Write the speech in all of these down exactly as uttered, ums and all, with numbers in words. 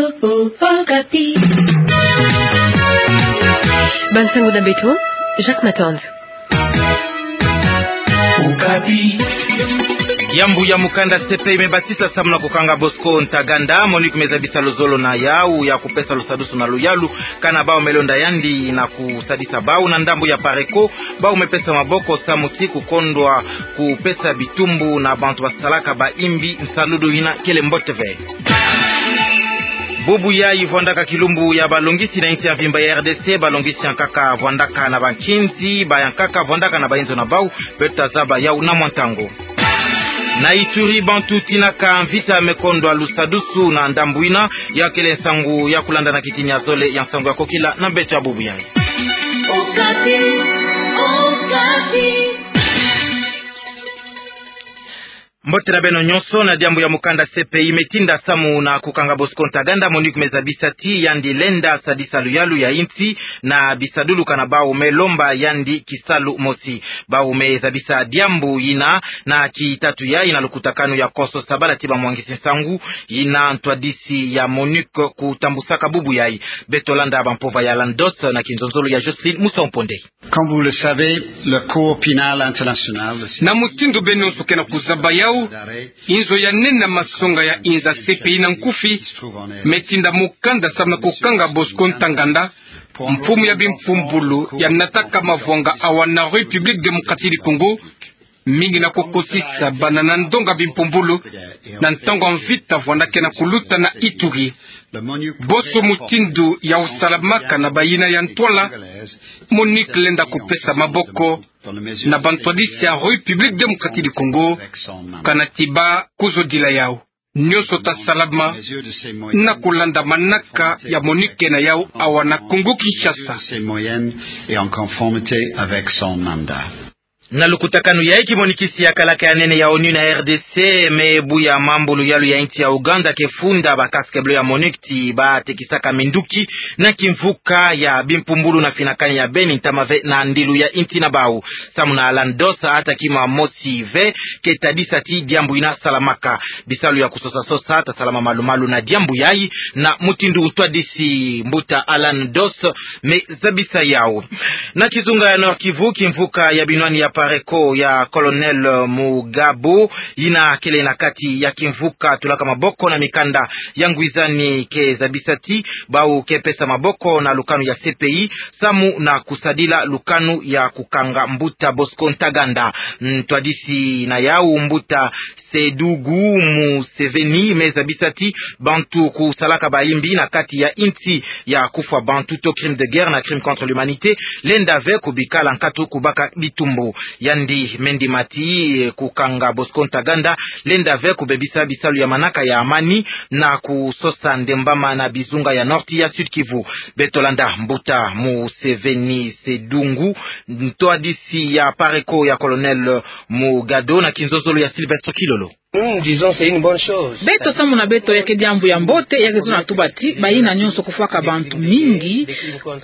Okapi. Bansango na beto, Jacques Matonde. Okapi. Yambu ya mukanda C P I mebasisa samu na kukanga Bosco Ntaganda. MONUC mezabisa luzolo na yau ya kupesa lusadusu na luyalu kana bau melonda yandi na kusadisa bau. Na ndambu ya PARECO, bau mepesa maboko samu ti kukondwa kupesa bitumbu na bantu basalaka baimbi nsaludu yina kele mbote ve. Bubu yayi vwandaka kilumbu ya balongisi na insi ya mvimba ya R D C, balongisi ya nkaka vwandaka na bankinzi, bayankaka vwandaka na bayinzo na bau. Beto tazaba yau na mwa ntangu. Na Ituri, bantu tinaka mvita mekondwa lusadusu na ndambu yina. Ya kele nsangu ya kulanda na kitini ya zole ya nsangu ya kokila na beto ya bubu yayi. Okapi, Okapi. Mbote na beno nyonso. Na diambu ya mukanda C P I metinda samu na kukanga Bosco Ntaganda, MONUC mezabisa ti yandi lenda sadisa luyalu ya insi na bisadulu kana bau melomba yandi kisalu mosi. Bau mezabisa diambu yina na kitatu yayi na lukutakanu ya Konso Sabala ti bamwangisi nsangu, yina ntwadisi ya MONUC kutambusaka bubu yayi. Beto landa bampova ya Landos na kinzonzolo ya Jocelyne Musa Omponde. Comme vous le savez, la Cour pénale internationale, na mutindu beno nyonso ke na kuzaba yau, inzo ya nene ya masonga ya inza C P I na nkufi metinda mukanda samu na kukanga Bosco Ntaganda, mfumu ya bimpumbulu ya nataka mavwanga awa na République Démocratique du Congo, mingi na kukotisa bana na ndonga bimpumbulu na ntangu ya mvita vwanda ke na kuluta na Ituri. Bonso mutindu yau salamaka na bayina ya ntwala, MONUC lenda kupesa maboko na bantwadisi ya République Démocratique du Congo, kana ti ba kuzodila yau. Nyonso ta salama na kulanda manaka ya MONUC ke na yau awa na Congo Kinshasa. Ces moyens et en conformité avec son mandat. Na lukutakanu yayi, kimonikisi ya kalaka ya nene ya ONU na R D C me buya mambu luyalu ya insi ya Ouganda ke funda ba casques bleus ya MONUC ti batekisaka minduki na kimvuka ya bimpumbulu na finakani ya beni ntama ve na ndilu ya insi na bau. Samu na Landos, ata kima mosi ve ke tadisa ti diambu yina salamaka. Bisalu ya kusosa-sosa ta salama malu-malu na diambu yayi, na mutindu ntwadisi mbuta Alan Dos me zabisa yau. Na kizunga ya Nord-Kivu, kimvuka ya binwani ya PARECO ya Colonel Mugabo, yina kele na kati ya kimvuka tulaka maboko na mikanda ya ngwizani, ke zabisa ti bau ke pesa maboko na lukanu ya C P I samu na kusadila lukanu ya kukanga mbuta Bosco Ntaganda. Ntwadisi na yau, mbuta Sedugu Museveni, me zabisa ti bantu kusalaka bayimbi na kati ya insi ya kufwa bantu, to crime de guerre na crime contre l'humanité, lenda ve kubikala nkatu kubaka bitumbu. Yandi me ndima ti, eh, kukanga Bosco Ntaganda lenda ve kubebisa bisalu ya manaka ya amani na kusosa ndembama na bizunga ya Nord ya Sud-Kivu. Beto landa mbuta Museveni Sedugu, ntwadisi ya PARECO ya Colonel Mugabo na kinzonzolo ya Sylvestre Kilolo. Hmm, disons, c'est une bonne chose. Beto, samu na beto, ya ke diambu ya mbote, ya ke tuna tuba ti bayina nyonso kufwaka bantu mingi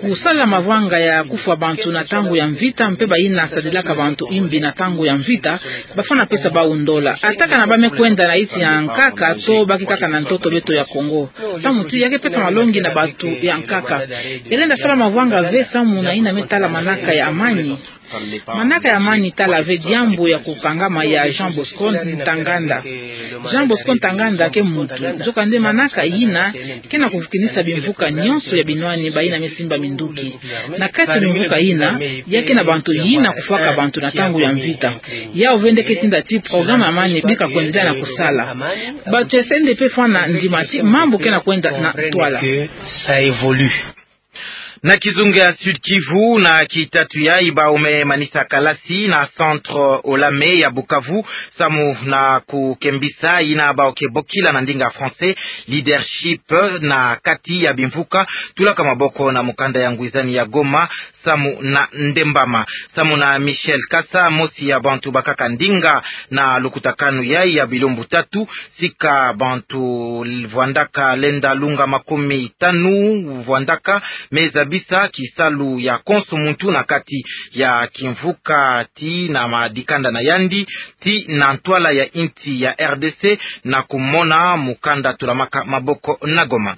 kusala mavanga ya kufwa bantu na ntangu ya mvita, mpe bayina sadilaka bantu imbi na ntangu ya mvita, bafwana pesa bau ndola. Ata kana ba me kwenda na insi ya nkaka, to ba ke kaka na ntoto, beto ya Congo, samu ti ya ke pesa malongi na bantu ya nkaka. Ya lenda sala mavanga ve samu na yina me tala manaka ya amani. Manaka ya amani tala ve diambu ya kukangama ya Jean Bosco Ntaganda. Jean Bosco Ntaganda ke muntu, nzokande manaka yina ke na kuvukinisa bimvuka nyonso ya binwani bayina me simba minduki. Na kati ya bimvuka yina, ya ke na bantu yina kufwaka bantu na ntangu ya mvita. Yau ve nde ke tinda ti programme ya amani bika kwendela na kusala. Bantu ya C N D P fwana ndima ti mambu ke na kwenda na ntwala. Ça évolue. Na kizunga ya Sud-Kivu, na kitatu yayi, bau me manisa kalasi na Centre Olame ya Bukavu, samu na kukembisa yina bau ke bokila na ndinga français leadership na kati ya bimvuka tulaka maboko na mukanda ya ngwizani ya Goma, samu na ndembama. Samu na Michel Kasa, mosi ya bantu bakaka ndinga na lukutakanu yayi ya bilumbu tatu, sika bantu vwandaka lenda lunga makumi tanu vwandaka, me za bisa kisalu ya konso muntu na kati ya kimvuka ti na madikanda na yandi, ti na ntwala ya insi ya R D C, na kumona mukanda tulamaka maboko na Goma.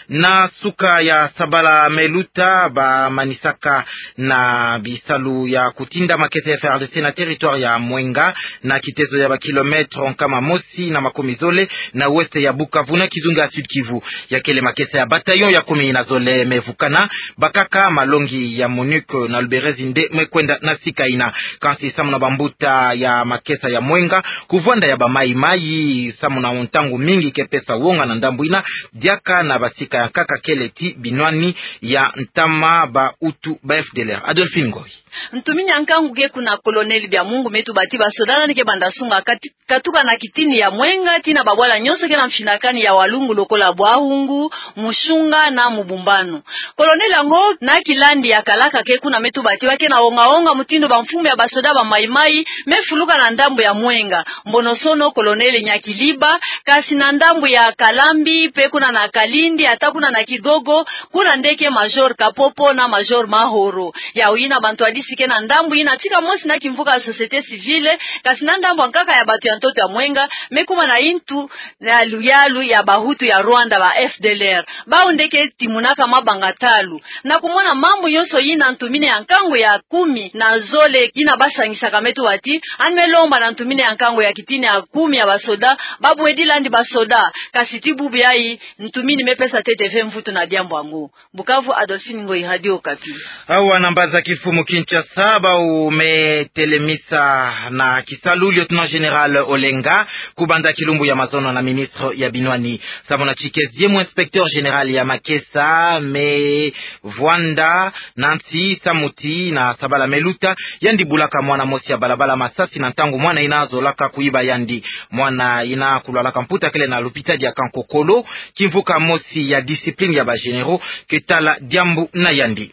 Na suka ya sabala meluta, bamanisaka na bisalu ya kutinda makesa ya F A R D C na territoire ya Mwenga, na kitezo ya ba kilomètre nkama mosi na makumizole na ouest ya Bukavu, na kizunga ya Sud-Kivu. Ya kele makesa ya bataillon ya kumi na zole mevukana, bakaka malongi ya MONUC na Luberizi nde mekwenda na sika yina. Kansi samu na bambuta ya makesa ya Mwenga, kuvwanda ya ba Mai-Mai samu na ntangu mingi ke pesa wonga na ndambu yina, diaka na basika ya nkaka kele ti binwani ya ntama ba Hutu ba F D L R. Adolphine Ngoyi. Ntumini ya nkangu ke kuna Colonel Biamungu me tuba ti basoda nani ke banda sunga kati, katuka na kitini ya Mwenga tii na babwala nyonso ke na mfinakani ya Walungu, lokola Bwahungu, Mushunga na Mubumbano. Colonel yango na kilandi ya kalaka ke kuna me tuba ti ba ke na wonga-wonga mutindu bamfumu ya basoda ba Mai-Mai me fuluka na ndambu ya Mwenga. Mbonosono Colonel Nyakiliba, kasi na ndambu ya Kalambi, pe kuna na Kalindi, ata kuna na Kigogo, kuna nde ke Major Kapopo na Major Mahoro. Yau yina bantwadisi ke na ndambu yina tika mosi na kimvuka ya société civile, kasi na ndambu ya nkaka ya bantu ya ntoto ya Mwenga, me kuma na yintu na luyalu ya ba Hutu ya Rwanda, ba F D L R. Bau nde ke timunaka mabanga talu. Na kumona mambu nyonso yina, ntumini ya nkangu ya kumi na zole yina basangisaka me tuba ti, yandi me lomba na ntumini ya nkangu ya kitini ya kumi ya basoda, babwedi landi basoda, kasi ti bubu yayi, ntumini me pesa ntete ve mvutu na diambu yango. Bukavu, Adolphine Ngoyi, Radio Okapi. Awa na mbanza kimfumu Kinshasa, bau me telemisa na kisalu lieutenant général Olenga, kubanda kilumbu ya mazono na ministre ya binwani. Samu na tike ziemu inspecteur général ya makesa me vwanda na nsi samu ti na sabala meluta, yandi bulaka mwana mosi ya balabala masasi na ntangu mwana yina zolaka kuyiba yandi. Mwana yina kulwalaka mputa kele na lupitadi ya Kankokolo, kimvuka mosi ya discipline ya ba généraux ke tala diambu na yandi.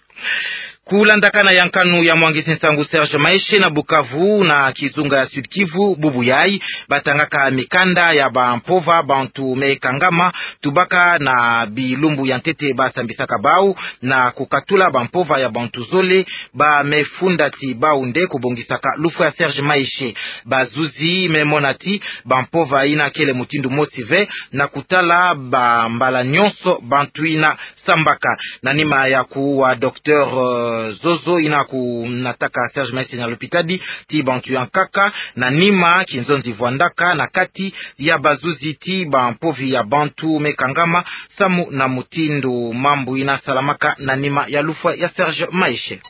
Kulandakana ya nkanu ya mwangisi nsangu Serge Maeshe na Bukavu na kizunga ya Sud-Kivu, bubu yayi batangaka mikanda ya bampova bantu me kangama, tubaka na bilumbu ya ntete basambisaka bau na kukatula bampova ya bantu zole, ba me funda ti bau nde kubongisaka lufwa ya Serge Maeshe. Bazuzi me mona ti bampova yina kele mutindu mosi ve na kutala bambala nyonso bantu yina sambaka. Na nima ya kuwa docteur, euh, Zozo yina kunataka Serge Maeshe na lupitadi, ti bantu ya nkaka, na nima kinzonzi vwandaka na kati ya bazuzi ti bampovi ya bantu me kangama, samu na mutindu mambu yina salamaka na nima ya lufwa ya Serge Maeshe.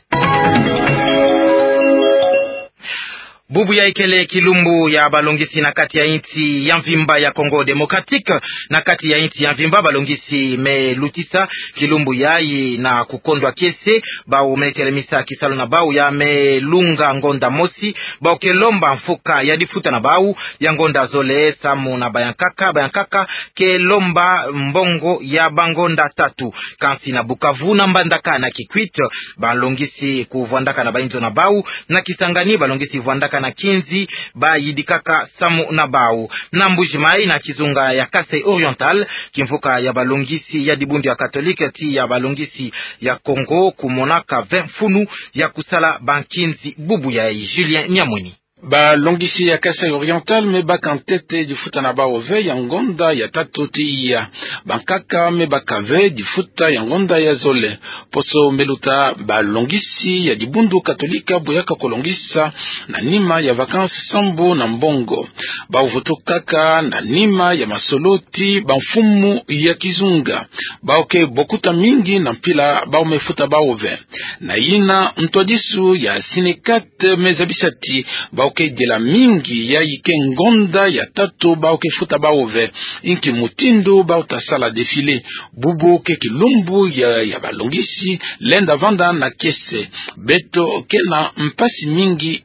Bubu yayi kele kilumbu ya balongisi na kati ya insi ya mvimba ya Congo Démocratique. Na kati ya insi ya mvimba, balongisi me lutisa kilumbu yayi na kukondwa kiese. Bau me telemisa kisalu na bau ya me lunga ngonda mosi. Bau ke lomba mfuka ya difuta na bau ya ngonda zole samu na bayankaka. Bayankaka ke lomba mbongo ya bangonda tatu. Kansi na Bukavu, na Mbandaka, na Kikwit, balongisi kuvwandaka na bainzo na bau. Na Kisangani, balongisi vwandaka na kinzi bayidikaka samu na bau. Na Mbuji-Mayi, na kizunga ya Kasaï Oriental, kimvuka ya balongisi ya dibundu ya Katolike ti ya balongisi ya Congo kumonaka ve mfunu ya kusala bankinzi bubu yayi. Julien Nyamweni. Balongisi ya Kasaï Oriental me baka ntete difuta na bau ve ya ngonda ya tatu tiya. Bankaka me baka ve difuta ya ngonda ya zole. Poso meluta, balongisi ya dibundu Katolika boyaka kolongisa na nima ya vacances sambu na mbongo. Bau vutukaka na nima ya masolo ti bamfumu ya kizunga. Bau ke bokuta mingi na mpila bau me futa bau ve. Na yina ntwadisu ya Sinekat me zabisa ti bau ke dila mingi yayi ke ngonda ya tatu bau ke futa bau ve. Inki mutindu bau ta sala défilé? Bubu ke kilumbu ya, ya balongisi lenda vanda na kiese. Beto ke na mpasi mingi.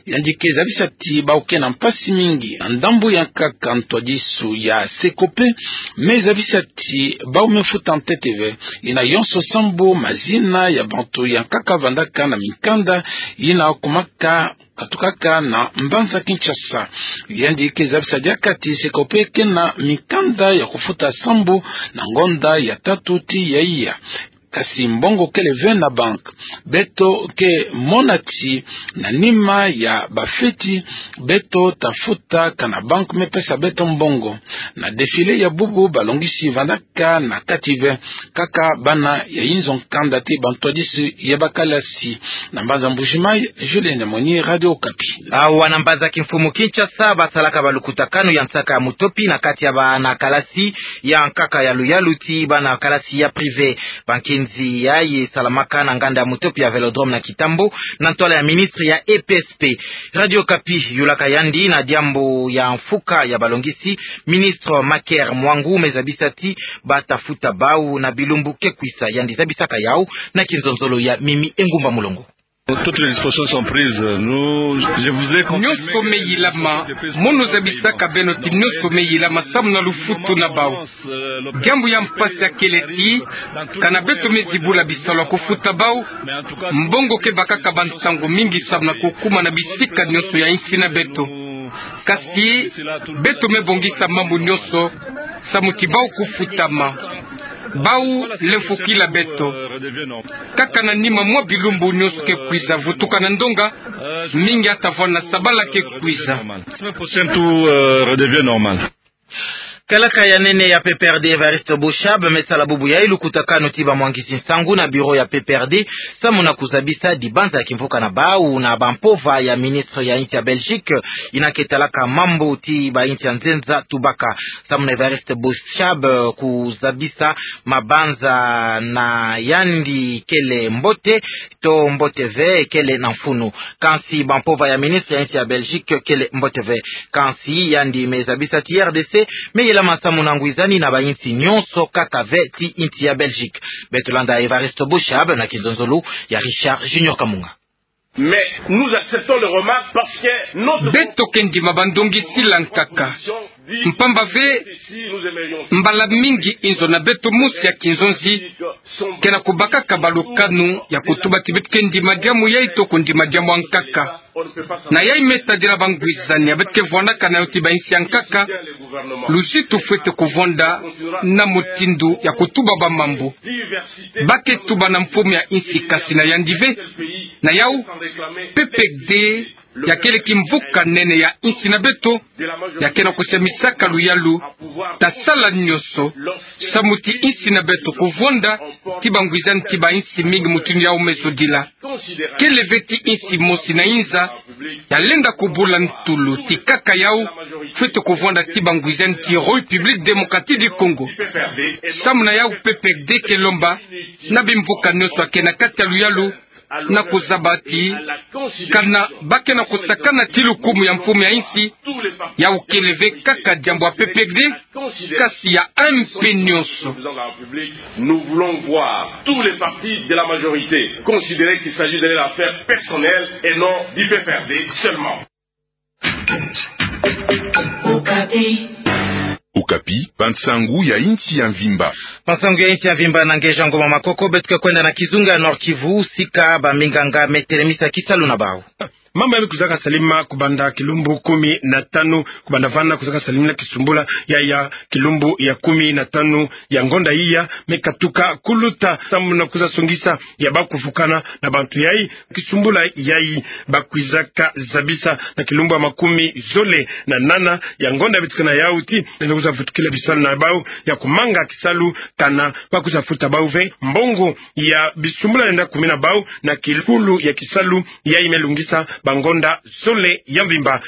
Yandi ke zabisa ti bau ke na mpasi mingi. Na ndambu ya nkaka, ntwadisu ya Secope me zabisa ti bau me futa ntete ve. Yina yonso sambu mazina ya bantu ya nkaka vandaka na minkanda yina kumaka katukaka na mbanza Kinshasa. Yandi ke zabisa diaka ti Secope ke na minkanda ya kufuta sambu na ngonda ya tatu tiya. Kasi mbongo kele ve na banque. Beto ke mona ti na nima ya bafeti, beto tafuta kana banque mepesa beto mbongo. Na défilé ya bubu balongisi vandaka na kati ve, kaka bana ya inzo kanda ti bantwadisi ya bakalasi. Na mbanza Mbuji-Mayi, Julien Nyamoni, Radio Okapi. Awa na mbanza kimfumu Kinshasa, basalaka balukutakanu ya nsaka ya mutopi na kati ya bana kalasi ya nkaka ya luyalu ti bana kalasi ya privé. Bankinzi yayi salamaka na nganda ya mutopi ya Vélodrome na Kitambo, na ntwala ya ministre ya E P S P. Radio Okapi yulaka yandi na diambu ya mfuka ya balongisi. Ministre Maker Mwangu me zabisa ti bata futa bau na bilumbu ke kwisa. Yandi zabisaka yau na kinzonzolo ya Mimi Engumba Mulongo. Toutes les dispositions sont prises. Nous, je vous ai confirmé. Nyonso me yilama. Mono zabisaka beno ti nyonso me yilama samu na lufutu na bau. Diambu ya mpasi ya kele ti, kana beto me zibula bisalu ya kufuta bau, mbongo ke bakaka bansangu mingi samu na kukuma na bisika nyonso ya insi na beto. Kasi beto me bongisa mambu nyonso samu ti bau kufutama. Bau lemfukila beto. Kaka na nima mwa bilumbu nyonso ke kwiza vutuka na ndonga, mingi ata vwanda sabala ke kwiza. Semaine prochaine, tout, euh, redevient normal. Kalaka ya nene ya P P R D Evariste Boshab me sala bubu yayi lukutakanu ti bamwangisi nsangu na bureau ya P P R D, samu na kuzabisa dibanza ya kimvuka na bau na bampova ya ministre ya insi ya Belgique, yina ke talaka mambu ti bainsi ya nzenza tubaka. Samu na Evariste Boshab, kuzabisa mabanza na yandi kele mbote, to mbote ve, kele na mfunu. Kansi bampova ya ministre ya insi ya Belgique kele mbote ve. Kansi yandi me zabisa ti R D C me yilama samu na ngwizani na bainsi nyonso kaka ve ti insi ya Belgique. Beto landa Evariste Boshab na kinzonzolo ya Richard Junior Kamunga. Mais nous acceptons le remarque parce que notre... Beto ke ndima bandongi sila nkaka. Mpamba ve, mbala mingi inzo na beto mosi ya kinzonzi ke na kubakaka balukanu ya kutuba ti beto ke ndima diamu yayi to kundima diamu ya nkaka. Na yayi me tadila bangwizani ya beto ke vwandaka na yo ti bainsi ya nkaka. Luzitu fwete kuvwanda na mutindu ya kutuba bamambu. Ba ke tuba na mfumu ya insi kasi na yandi ve. Na yau, P P R D ya kele kimvuka nene ya insi na beto, ya ke na kusemisaka luyalu, ta sala nyonso samu ti insi na beto kuvwanda ti bangwizani ti bainsi mingi mutindu yau me zodila. Kele ve ti insi mosi na inza ya lenda kubula ntulu ti kaka yau fwete kuvwanda ti bangwizani ti République Démocratique du Congo. Samu na yau P P R D ke lomba na bimvuka nyonso ya ke na kati ya luyalu na kuzaba ti kana ba ke na kusakana ti lukumu ya mfumu ya insi, yau kele ve kaka diambu ya P P R D, kasi ya M P nyonso. Nous voulons voir tous les partis de la majorité considérer qu'il s'agit de leur affaire personnelle et non du P P R D seulement. Okapi, bansangu ya insi ya mvimba. Bansangu ya insi ya mvimba na Ngeja Ngoma Makoko, beto ke kwenda na kizunga ya Nord-Kivu, sika baminganga me telemisa kisalu na bau. Mambu ya me kwizaka salima kubanda kilumbu kumi na tanu, kubanda vana kwizaka salimina kisumbula ya, ya kilumbu ya kumi na tanu ya ngonda iya, me katuka kuluta samu na kwiza songisa ya ba kuvukana na bantu yayi. Kisumbula yayi ba kwizaka zabisa na kilumbu ya makumi zole na nana ya ngonda ya bitikana yau ti, na kwiza vutukila bisalu na bau ya kumanga kisalu kana ba kwiza futa bau ve mbongo ya bisumbula lenda kumina bau na kikulu ya kisalu yayi me lungisa bangonda zole ya mvimba.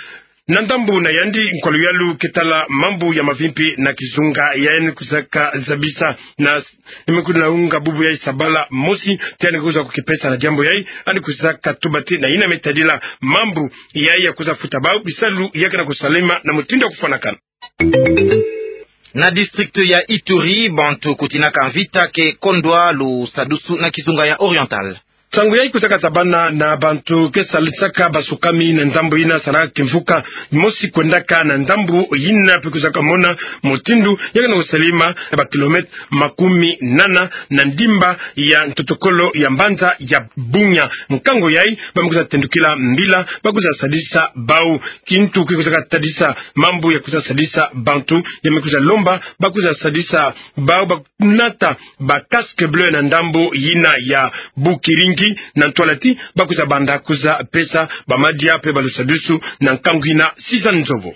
Na ndambu na yandi, nkwa luyalu ke tala mambu ya mavimpi na kizunga yayi kwizaka zabisa na, ni me kwiza na unga bubu yayi sabala mosi ti yandi kwiza kukipesa na diambu yayi, yandi kwizaka tuba ti na yina me tadila mambu yayi ya kwiza futa bau, bisalu ya ke na kusalema na mutindu ya kufwanakana. Na district ya Ituri, bantu kutinaka mvita ke kondwa lusadusu na kizunga ya Oriental. Nsangu yayi kwizaka zabana na bantu ke sadisaka basukami na ndambu yina saraka kimvuka mosi kwendaka na ndambu yina, mpe kwizaka mona mutindu ya ke na kusalama na ba kilomètre makumi nana na ndimba ya ntotokolo ya mbanza ya Bunia. Nkangu yayi ba me kwiza tendukila mbila, ba kwiza sadisa bau. Kintu ke kwizaka tadisa mambu ya kwiza sadisa bantu, ya me kwiza lomba ba kwiza sadisa bau ba nata ba casque bleu na ndambu yina ya Bukiringi, na ntwala ti ba kwiza banda kwiza pesa bamadia mpe ba lusadusu na nkangu yina. Suzanne Nzobo.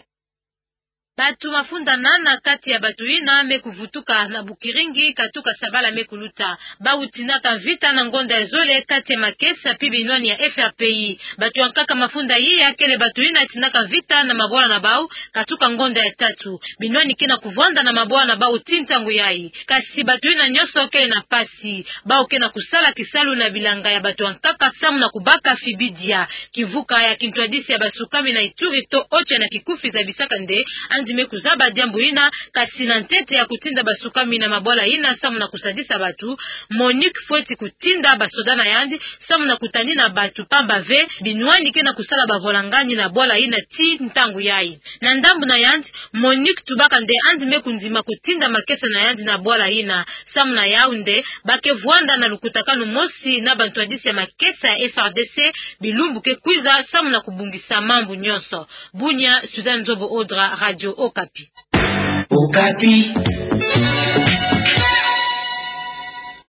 Bantu mafunda nana kati ya bantu yina me kuvutuka na Bukiringi katuka sabala me kuluta. Bau tindaka mvita na ngonda ya zole kati ya makesa mpe binwani ya F R P I. Bantu ya nkaka mafunda yiya kele bantu yina tindaka mvita na mabwala na bau katuka ngonda ya tatu. Binwani ke na kuvwanda na mabwala na bau ti ntangu yayi. Kasi bantu yina nyonso kele na mpasi. Bau ke na kusala kisalu na bilanga ya bantu ya nkaka samu na kubaka fibidia. Kimvuka ya kintwadisi ya basukami na Ituri, Toocha, na kikufi zabisaka nde yandi me kuzaba diambu yina, kasi na ntete ya kutinda basukami na mabwala yina samu na kusadisa bantu, MONUC fweti kutinda basoda na yandi samu na kutanina bantu, pamba ve binwani ke na kusala bavwalangani na bwala yina ti ntangu yayi. Na ndambu na yandi, MONUC tubaka nde yandi me kundima kutinda makesa na yandi na bwala yina. Samu na yau nde ba ke vwanda na lukutakanu mosi na bantwadisi ya makesa ya F R D C bilumbu ke kwiza samu na kubongisa mambu nyonso. Bunia, Suzanne Nzobo Odra, Radio Okapi. Okapi.